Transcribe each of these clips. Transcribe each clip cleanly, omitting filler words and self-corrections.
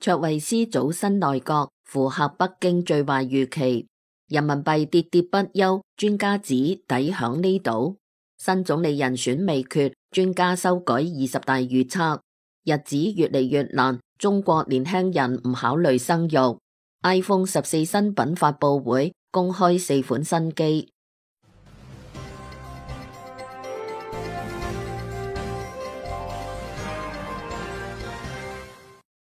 卓慧思組新內閣，符合北京最壞預期。人民幣跌跌不休，專家指底響呢度。新總理人選未決，專家修改20大預測。日子越嚟越難，中國年輕人唔考慮生育。iPhone 14新品發佈會公開4款新機。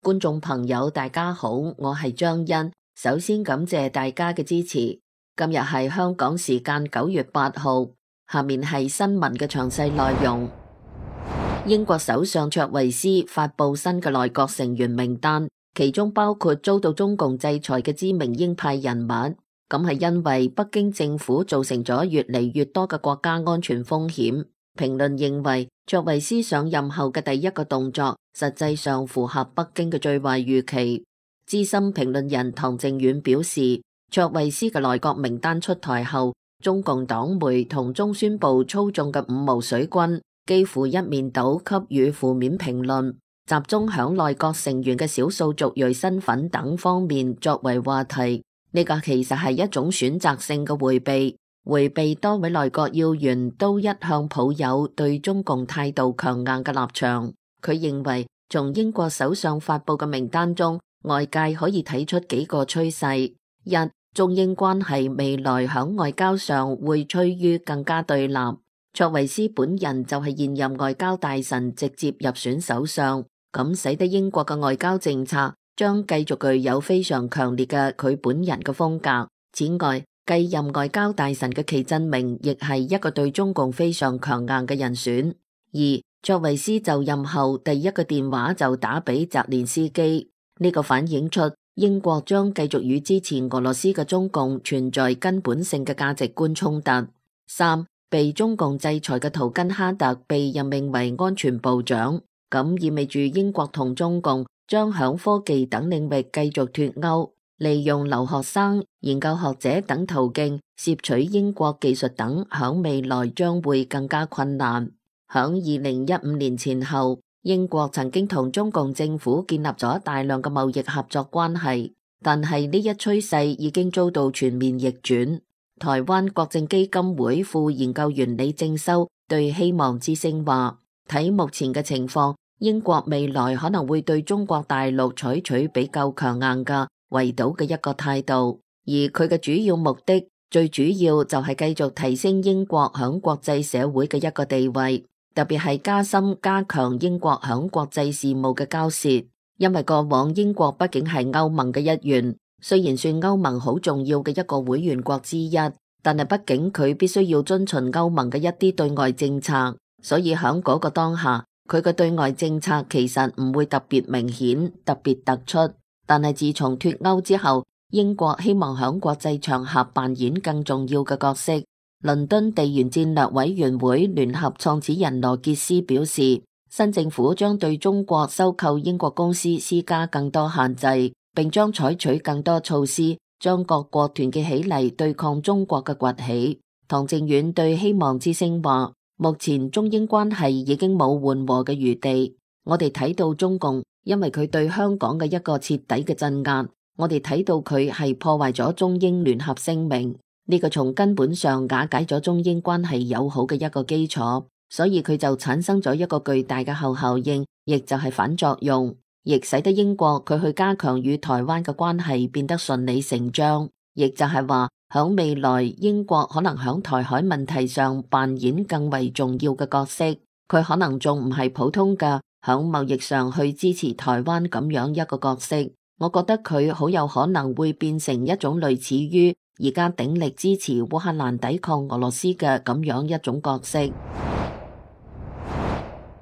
觀眾朋友大家好，我係張欣，首先感謝大家嘅支持。今日係香港時間9月8號，下面係新聞嘅詳細內容。英國首相卓慧思發佈新嘅內閣成員名單，其中包括遭到中共制裁嘅知名鷹派人物。咁係因為北京政府造成咗越嚟越多嘅國家安全風險。評論認為，卓慧思上任後嘅第一個動作，實際上符合北京嘅最壞預期。資深評論人唐靖遠表示，卓慧思嘅內閣名單出台後，中共黨媒同中宣部操縱嘅五毛水軍幾乎一面倒給予負面評論，集中響內閣成員嘅少數族裔身份等方面作為話題。呢個其實係一種選擇性嘅回避多位內閣要員都一向抱有對中共態度強硬嘅立場。佢認為從英國首相發佈嘅名單中，外界可以睇出幾個趨勢：一、中英關係未來響外交上會趨於更加對立。卓慧思本人就係現任外交大臣直接入選首相，咁使得英國嘅外交政策將繼續具有非常強烈嘅佢本人嘅風格。此外，繼任外交大臣嘅祁振明亦係一個對中共非常強硬嘅人選。二、卓慧思就任後第一個電話就打俾澤連斯基，呢個反映出英國將繼續與支持俄羅斯嘅中共存在根本性嘅價值觀衝突。三、被中共制裁嘅圖根哈特被任命為安全部長，咁意味住英國同中共將響科技等領域繼續脫鈎，利用留學生、研究學者等途徑攝取英國技術等，響未來將會更加困難。響2015年前後，英國曾經同中共政府建立咗大量嘅貿易合作關係，但係呢一趨勢已經遭到全面逆轉。台灣國政基金會副研究員李正修對希望之聲話，睇目前嘅情況，英國未來可能會對中國大陸採取比較強硬嘅圍堵嘅一個態度，而佢嘅主要目的最主要就係繼續提升英國響國際社會嘅一個地位，特別係加深加強英國響國際事務嘅交涉。因為過往英國畢竟係歐盟嘅一員，雖然算歐盟好重要嘅一個會員國之一，但係畢竟佢必須要遵循歐盟嘅一啲對外政策，所以響嗰個當下，佢嘅對外政策其實唔會特別明顯、特別突出。但係自從脫歐之後，英國希望響國際場合扮演更重要嘅角色。倫敦地緣戰略委員會聯合創始人羅傑斯表示，新政府將對中國收購英國公司施加更多限制，並將採取更多措施，將各國團結起嚟對抗中國嘅崛起。唐靖遠對希望之聲話，目前中英關係已經冇緩和嘅餘地。我哋睇到中共因為佢對香港嘅一個徹底嘅鎮壓，我哋睇到佢係破壞咗中英聯合聲明，呢個從根本上瓦解咗中英關係友好嘅一個基礎，所以佢就產生咗一個巨大嘅後效應，亦就係反作用，亦使得英國佢去加強與台灣嘅關係變得順理成章，亦就係話響未來英國可能響台海問題上扮演更為重要嘅角色，佢可能仲唔係普通嘅響貿易上去支持台灣咁樣一個角色，我覺得佢好有可能會變成一種類似於而家鼎力支持烏克蘭抵抗俄羅斯嘅咁樣一種角色。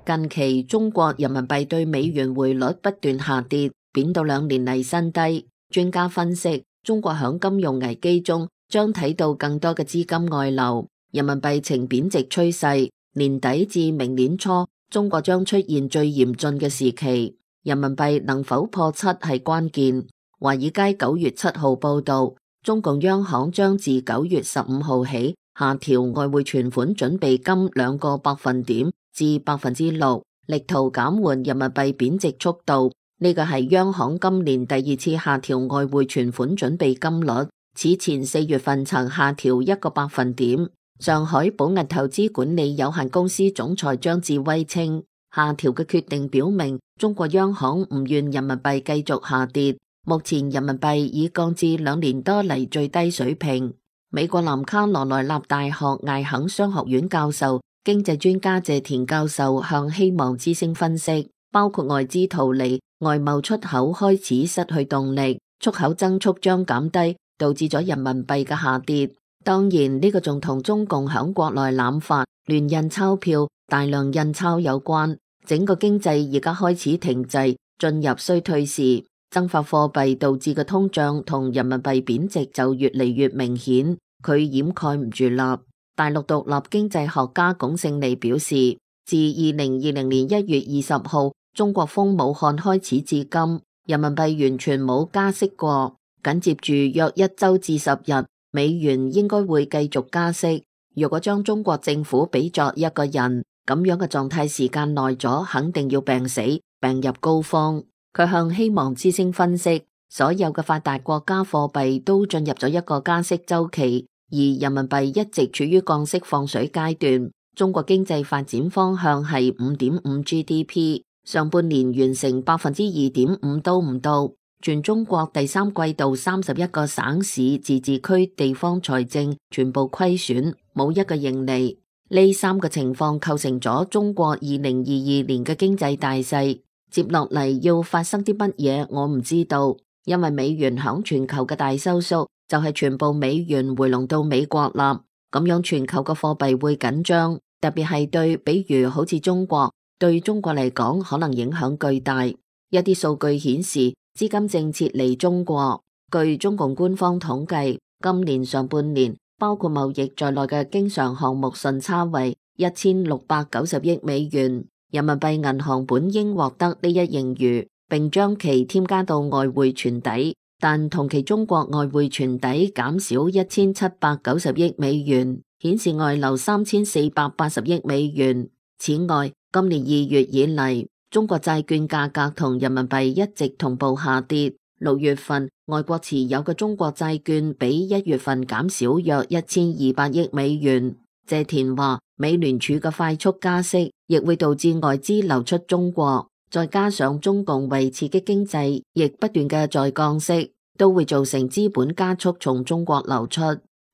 近期中國人民幣對美元匯率不斷下跌，貶到2年嚟新低。專家分析，中國響金融危機中將睇到更多嘅資金外流，人民幣呈貶值趨勢。年底至明年初，中國將出現最嚴峻嘅時期，人民幣能否破7係關鍵。華爾街9月7號報道，中共央行將自9月15號起下調外匯存款準備金2個百分點至6%，力圖減緩人民幣貶值速度，呢個係央行今年第二次下調外匯存款準備金率，此前4月份曾下調1個百分點。上海寶銀投資管理有限公司總裁張志威稱，下調嘅決定表明中國央行唔願人民幣繼續下跌，目前人民幣已降至2年多嚟最低水平。美國南卡羅來納大學艾肯商學院教授、經濟專家謝田教授向希望之聲分析，包括外資逃離、外貿出口開始失去動力、出口增速將減低，導致咗人民幣嘅下跌。當然呢個仲同中共響國內濫發亂印鈔票、大量印鈔有關。整個經濟而家開始停滯，進入衰退時，增發貨幣導致嘅通脹同人民幣貶值就越嚟越明顯，佢掩蓋唔住啦。大陸獨立經濟學家龔勝利表示，自2020年1月20號中國封武漢開始至今，人民幣完全冇加息過，緊接住約1周至10日，美元應該會繼續加息。如果將中國政府比作一個人，咁樣嘅狀態時間耐咗，肯定要病死，病入膏肓。佢向希望之聲分析，所有嘅發達國家貨幣都進入咗一個加息週期，而人民幣一直處於降息放水階段。中國經濟發展方向係 5.5 GDP， 上半年完成 2.5% 都唔到。全中國第三季度31個省市自治區地方財政全部虧損，冇一個盈利。呢3個情況構成咗中國2022年嘅經濟大勢。接落嚟要發生啲乜嘢，我唔知道，因為美元響全球嘅大收縮，就係全部美元回籠到美國啦。咁樣全球嘅貨幣會緊張，特別係對，比如好似中國，對中國嚟講可能影響巨大。一啲數據顯示，資金正撤離中國。據中共官方統計，今年上半年，包括貿易在內嘅經常項目順差為1690億美元，人民幣銀行本應獲得呢一盈餘，並將其添加到外匯存底，但同期中國外匯存底減少1790億美元，顯示外流3480億美元。此外，今年2月以嚟，中國債券價格同人民幣一直同步下跌。6月份，外國持有嘅中國債券比1月份減少約1200億美元。謝田話，美聯儲嘅快速加息亦會導致外資流出中國，再加上中共為刺激經濟亦不斷嘅在降息，都會造成資本加速從中國流出。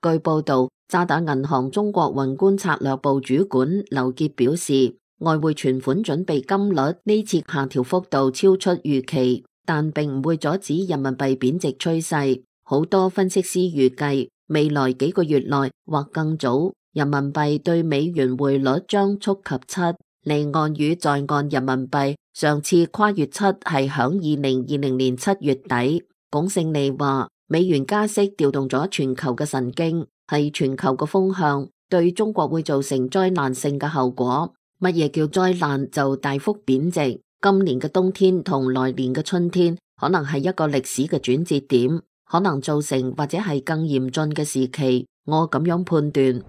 據報道，渣打銀行中國宏觀策略部主管劉傑表示，外匯存款準備金率呢次下調幅度超出預期，但並唔會阻止人民幣貶值趨勢。好多分析師預計，未來幾個月內或更早，人民幣對美元匯率將觸及7。離岸與在岸人民幣上次跨越7係響2020年7月底。龔勝利話，美元加息調動咗全球嘅神經，係全球嘅風向，對中國會造成災難性嘅後果。乜嘢叫災難？就大幅貶值。今年嘅冬天同來年嘅春天可能係一個歷史嘅轉折點，可能造成或者係更嚴峻嘅時期。我咁樣判斷。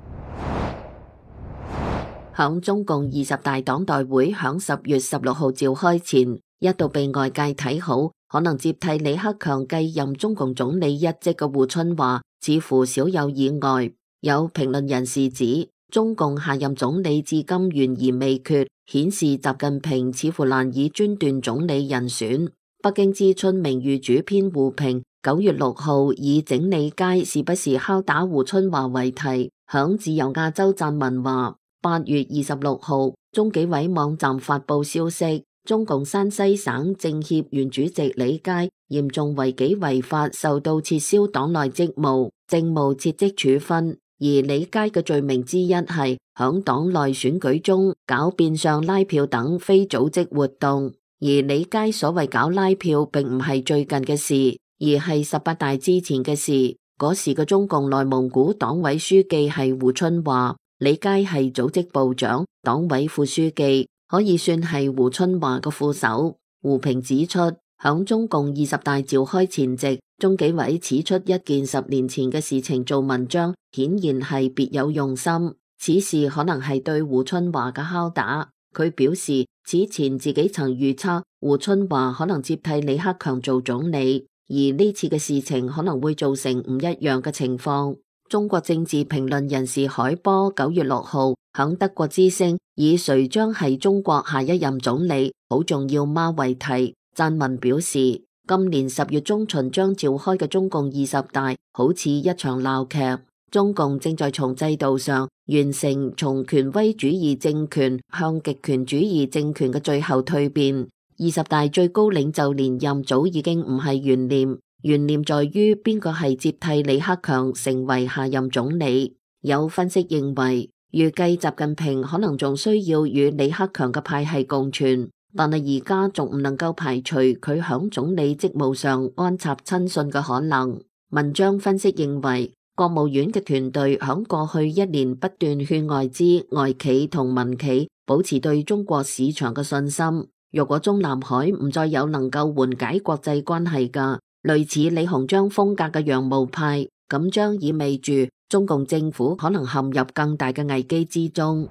響中共20大黨代會響10月16號召開前，一度被外界睇好，可能接替李克強繼任中共總理一職嘅胡春華，似乎少有意外。有評論人士指，中共下任總理至今懸而未決，顯示習近平似乎難以專斷總理人選。北京之春名譽主編胡平9月6號以整理街是不是敲打胡春華為題，響自由亞洲撰文話，8月26號，中紀委網站發布消息，中共山西省政協原主席李佳嚴重違紀違法，受到撤銷黨內職務、政務撤職處分。而李佳嘅罪名之一係響黨內選舉中搞變相拉票等非組織活動。而李佳所謂搞拉票並唔係最近嘅事，而係18大之前嘅事。嗰時嘅中共內蒙古黨委書記係胡春華，李佳係組織部長、黨委副書記，可以算係胡春華嘅副手。胡平指出，響中共20大召開前夕，中紀委指出一件10年前嘅事情做文章，顯然係別有用心。此事可能係對胡春華嘅敲打。佢表示此前自己曾預測胡春華可能接替李克強做總理，而呢次嘅事情可能會造成唔一樣嘅情況。中國政治評論人士海波9月6號響德國之聲以誰將係中國下一任總理好重要嗎為題撰文表示，今年10月中旬將召開嘅中共20大好似一場鬧劇，中共正在從制度上完成從權威主義政權向極權主義政權嘅最後蛻變。20大最高領袖連任早已經唔係懸念，懸念在於邊個係接替李克強成為下任總理。有分析認為，預計習近平可能仲需要與李克強嘅派系共存，但係而家仲唔能夠排除佢響總理職務上安插親信嘅可能。文章分析認為，國務院嘅團隊響過去1年不斷勸外資、外企同民企保持對中國市場嘅信心。如果中南海唔再有能夠緩解國際關係嘅類似李鴻章風格嘅洋務派，咁將意味住中共政府可能陷入更大嘅危機之中。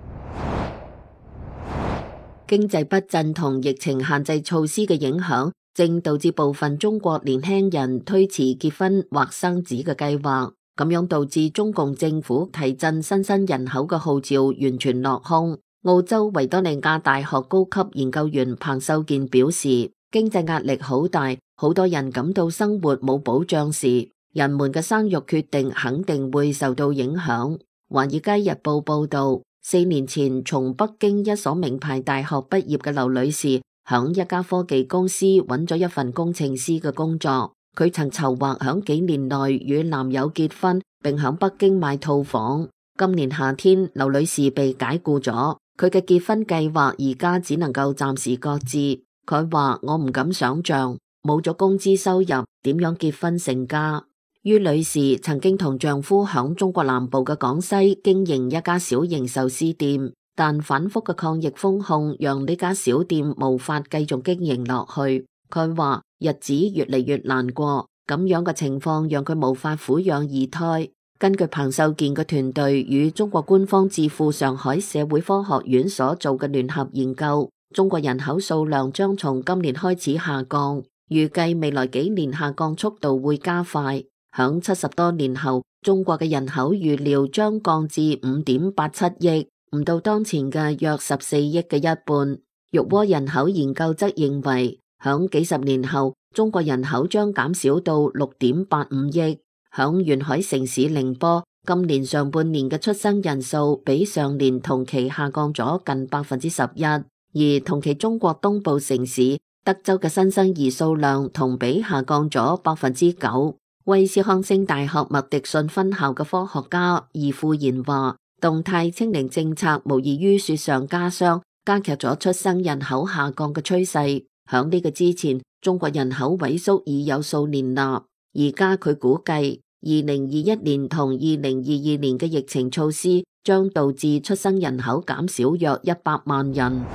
經濟不振同疫情限制措施嘅影響，正導致部分中國年輕人推遲結婚或生子嘅計劃，咁樣導致中共政府提振新生人口嘅號召完全落空。澳洲維多利亞大學高級研究員彭秀健表示，經濟壓力好大，好多人感到生活冇保障時，人們嘅生育決定肯定會受到影響。華爾街日報報道，4年前從北京一所名牌大學畢業嘅劉女士，響一家科技公司揾咗一份工程師嘅工作。佢曾籌劃響幾年內與男友結婚，並響北京買套房。今年夏天，劉女士被解僱咗。佢嘅結婚計劃而家只能夠暫時擱置。佢話：我唔敢想象冇咗工資收入點樣結婚成家。于女士曾經同丈夫響中國南部嘅廣西經營一家小型壽司店，但反覆嘅抗疫封控讓呢家小店無法繼續經營落去。佢話日子越嚟越難過，咁樣嘅情況讓佢無法撫養二胎。根據彭秀健嘅團隊與中國官方智庫上海社會科學院所做嘅聯合研究，中國人口數量將從今年開始下降，預計未來幾年下降速度會加快。響70多年後，中國嘅人口預料將降至5.87億，唔到當前嘅約14億嘅一半。玉窩人口研究則認為，響幾十年後，中國人口將減少到6.85億。響沿海城市寧波，今年上半年嘅出生人數比上年同期下降咗近11%，而同期中國東部城市德州嘅新生兒數量同比下降咗9%。威斯康星大學麥迪遜分校嘅科學家易富賢話，動態清零政策無異於雪上加霜，加劇咗出生人口下降嘅趨勢。響呢個之前，中國人口萎縮已有數年啦。而家佢估計2021年同2022年嘅疫情措施將導致出生人口減少約100萬人。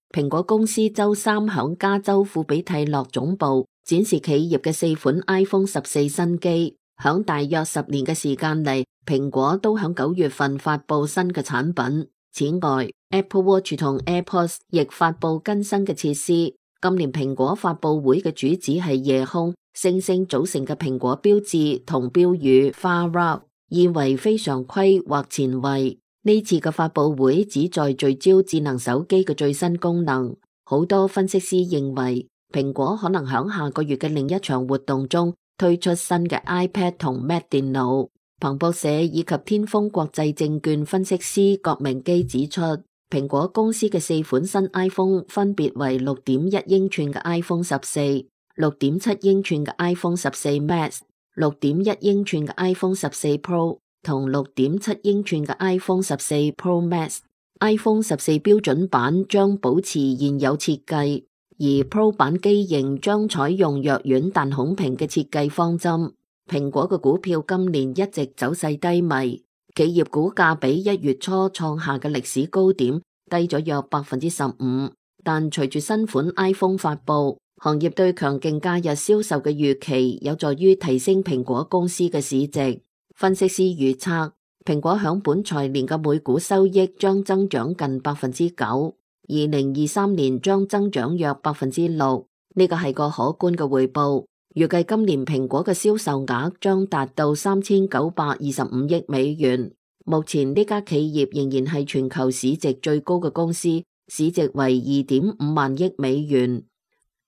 蘋果公司周三響加州庫比蒂諾總部展示企業嘅4款 iPhone 14新機。響大約10年嘅時間嚟，蘋果都響9月份發佈新嘅產品。此外， Apple Watch 同 AirPods 亦發佈更新嘅設施。今年蘋果發佈會嘅主旨係夜空、星星組成嘅蘋果標誌同標語 Far Out， 意為非常規或前衛。呢次嘅發佈會旨在聚焦智能手機嘅最新功能。好多分析師認為，蘋果可能響下個月嘅另一場活動中推出新嘅 iPad 同 Mac 電腦。彭博社以及天風國際證券分析師郭明基指出，蘋果公司嘅4款新 iPhone 分別為6.1英寸嘅 iPhone 14、6.7英寸嘅 iPhone 14 Max、6.1英寸嘅 iPhone 14 Pro 同6.7英寸嘅 iPhone 14 Pro Max。iPhone 14標準版將保持現有設計，而 Pro 版機型將採用弱軟但孔屏嘅設計方針。蘋果嘅股票今年一直走勢低迷。企業股價比1月初創下嘅歷史高點低咗約15%，但隨住新款 iPhone 發佈，行業對強勁假日銷售嘅預期有助於提升蘋果公司嘅市值。分析師預測，蘋果響本財年嘅每股收益將增長近9%，2023年將增長約6%，呢個係個可觀嘅回報。預計今年蘋果嘅銷售額將達到3925億美元。目前呢家企業仍然係全球市值最高嘅公司，市值為2.5萬億美元。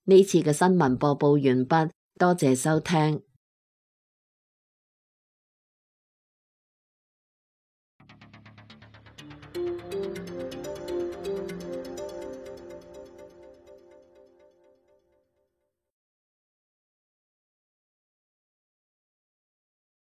呢次嘅新聞播報完畢，多謝收聽。